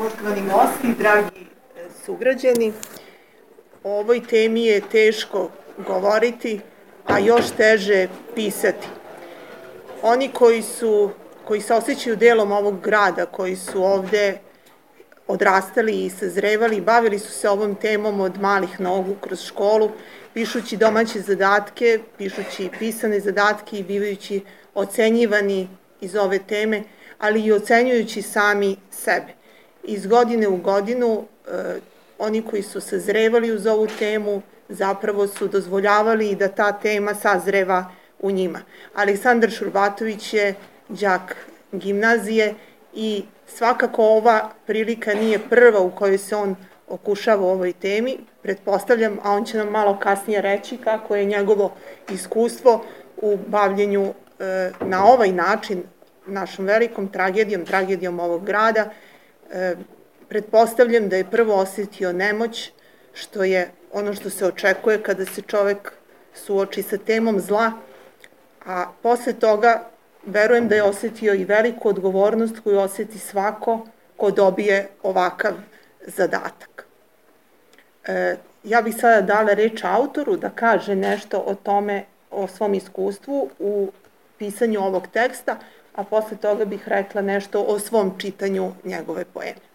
Poštovani gosti, dragi sugrađani, o ovoj temi je teško govoriti, a još teže pisati. Oni koji se osjećaju delom ovog grada, koji su ovde odrastali i sazrevali, bavili su se ovom temom od malih nogu kroz školu, pišući domaće zadatke, pišući pisane zadatke i bivajući ocenjivani iz ove teme, ali i ocenjujući sami sebe. Iz godine u godinu oni koji su sazrevali uz ovu temu zapravo su dozvoljavali da ta tema sazreva u njima. Aleksandar Šurbatović je đak gimnazije i svakako ova prilika nije prva u kojoj se on okušava u ovoj temi. Pretpostavljam, a on će nam malo kasnije reći kako je njegovo iskustvo u bavljenju na ovaj način našom velikom tragedijom ovog grada. Pretpostavljam da je prvo osetio nemoć, što je ono što se očekuje kada se čovek suoči sa temom zla, a posle toga verujem da je osetio i veliku odgovornost koju oseti svako ko dobije ovakav zadatak. Ja bih sada dala reč autoru da kaže nešto o tome, o svom iskustvu u pisanju ovog teksta, a posle toga bih rekla nešto o svom čitanju njegove poeme.